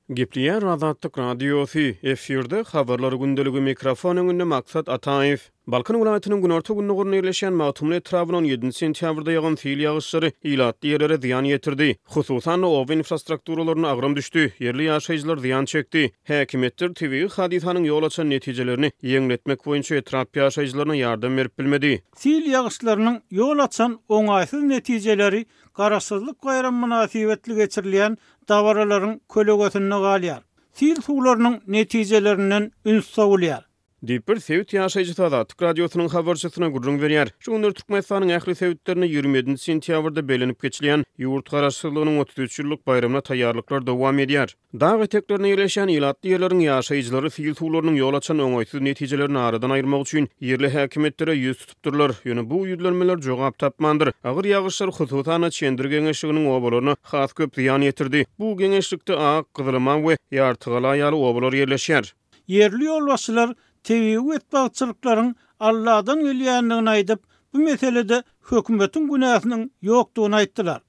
Gepleýär Azatlyk Radiosy, efirde Habarlar gündeligi, mikrofon öňünde Maksat Ataýew. Balkan welaýatynyň günorta-gündogarynda ýerleşýän Magtymguly etrabynda on ýedinji sentýabrda ýagan sil ýagyşlary ilatly ýerlere zyýan ýetirdi. Hususan-da, oba infrastrukturalaryna agram düşdi, ýerli ýaşaýjylar zyýan çekdi. Häkimiýetler tebigy hadysanyň ýol açan netijelerini ýeňletmek boýunça etrap ýaşaýjylaryna ýardam berip bilmedi. Sil ýagyşlarynyň ýol açan oňaýsyz netijeleri Garaşsyzlyk baýramy mynasybetli geçirilýän dabaralaryň kölegesinde galýar. Sil suwlarynyň netijelerinden üns sowulýar. Diýip, bir sebit ýaşaýjysy Azatlyk Radiosynyň habarçysyna gürrüň berýär. Şu günler Türkmenistanyň ähli sebitlerinde 27 sentýabrda bellenip geçilýän ýurt Garaşsyzlygynyň 33 ýyllyk baýramyna taýýarlyklar dowam edýär. Dag eteklerinde ýerleşýän ilatly ýerleriň ýaşaýjylary sil suwlarynyň ýol açan oňaýsyz netijelerini aradan aýyrmak üçin ýerli häkimiýetlere ýüz tutupdyrlar. Ýöne bu ýüzlenmeler jogap tapmandyr. Agyr ýagyşlar hususan-da Çendir geňeşliginiň obalaryna has köp zyýan ýetirdi. Bu geňeşlikde Ak, Gyzylaman we Ýartygala ýaly obalar ýerleşýär. Ýerli ýolbaşçylar tebigy betbagtçylyklaryň Alladan gelýändigini aýdyp, bu meselede hökümetiň günäsiniň ýokdugyny aýtdylar.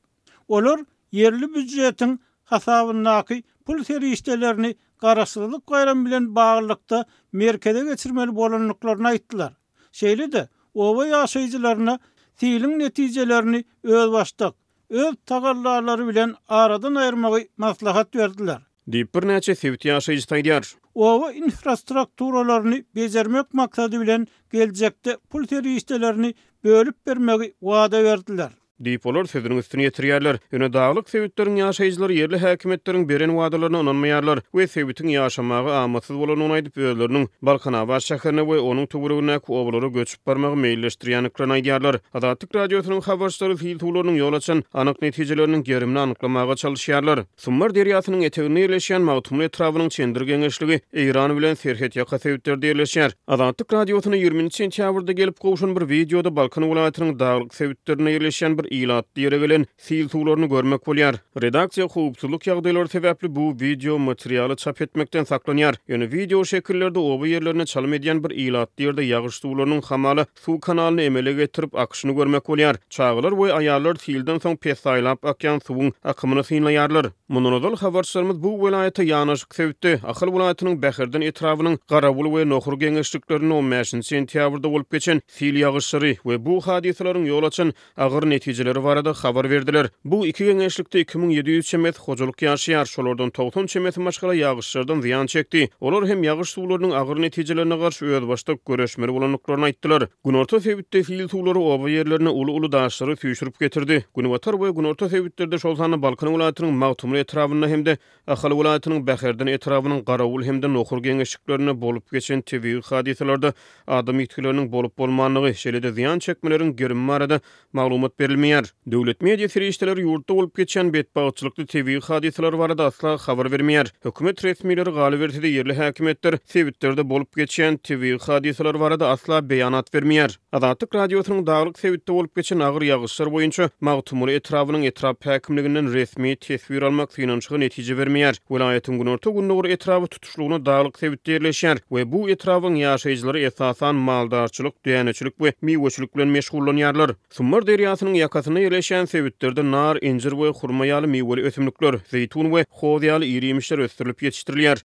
Olar ýerli býujetiň hasabyndaky pul serişdelerini Garaşsyzlyk baýramy bilen baglylykda merkeze geçirmeli bolandyklaryny aýtdylar. Şeýle-de, oba ýaşaýjylaryna siliň netijelerini özbaşdak, öz tagallalary bilen aradan aýyrmagy maslahat berdiler. Diýip, birnäçe sebit ýaşaýjysy aýdýar. Oba infrastrukturalaryny bejermek maksady bilen geljekde pul serişdelerini bölüp bermegi wada berdiler. Diýip, olar sözüniň üstüni ýetirýärler. Ýöne daglyk sebitleriň ýaşaýjylary ýerli häkimiýetleriň beren wadalaryna ynanmaýarlar we sebitiň ýaşamaga amatsyz bolandygyny aýdyp, özleriniň Balkanabat şäherine we onuň töweregindäki obalara göçüp barmagy meýilleşdirýändiklerini aýdýarlar. Azatlyk Radiosynyň habarçylary sil suwlarynyň ýol açan anyk netijeleriniň gerimini anyklamaga çalyşýarlar. Sumbar derýasynyň eteginde ýerleşýän Magtymguly etrabynyň Çendir geňeşligi Eýran bilen serhetýaka sebitlerde ýerleşýär. Azatlyk Radiosyna 20-nji sentýabrda gelip gowşan bir wideoda Balkan welaýatynyň daglyk sebitlerinde ýerleşýän bir ilatly ýere gelen sil suwlaryny görmek bolýar. Redaksiýa howpsuzlyk ýagdaýlary sebäpli bu wideo materialy çap etmekden saklanýar. Ýöne wideo şekillerde oba ýerlerine çalym edýän bir ilatly ýerde ýagyş suwlarynyň hamala suw kanalyny emele getirip akyşyny görmek bolýar. Çagalar we aýallar silden soň pessaýlap akýan suwuň akymyny synlaýarlar. Mundan ozal habarçylarymyz bu welaýata ýanaşyk sebitde, Ahal welaýatynyň Bäherden etrabynyň Garawul we Nohur geňeşliklerinde on bäşinji sentýabrda bolup geçen sil ýagyşlary we bu hadysalaryň ýol açan agyr netijeleri barada habar berdiler. Bu iki geňeşlikde 2700 çemesi hojalyk ýaşaýar, şolardan 90 çemesi maşgala ýagyşlardan zyýan çekdi. Olar hem ýagyş suwlarynyň agyr netijelerine garşy özbaşdak göreşmeli bolandyklaryny aýtdylar. Günorta sebitde sil suwlary oba ýerlerine uly-uly daşlary süýşürip getirdi. Günbatar we günorta sebitlerde, şol sanda Balkan welaýatynyň Magtymguly etrabynda hem-de Ahal welaýatynyň Bäherden etrabynyň Garawul hem-de Nohur geňeşliklerinde bolup geçen tebigy hadysalarda adam ýitgileriniň bolup-bolmandygy, şeýle-de zyýan çekmeleriň gerimi barada maglumat berilmeýär. Döwlet media serişdeleri ýurtda bolup geçýän betbagtçylykly tebigy hadysalar barada asla habar bermeýär. Hökümet resmileri, galyberse-de ýerli häkimiýetler sebitlerde bolup geçýän tebigy hadysalar barada asla beýanat bermeýär. Azatlyk Radiosynyň daglyk sebitde bolup geçen agyr ýagyşlar boýunça Magtymguly etrabynyň etrap häkimliginden resmi teswir almak synanyşygy netije bermeýär. Welaýatyň günorta-gündogar etraby tutuşlygyna daglyk sebitde ýerleşýär we bu etrabyň ýaşaýjylary esasan maldarçylyk, däneçilik we miweçilik bilen meşgullanýarlar. Sumbar derýasynyň ýakasynda ýerleşýän sebitlerde nar, injir we hurma ýaly miweli ösümlikler, zeýtun we hoz ýaly ir-iýmişler ösdürilip ýetişdirilýär.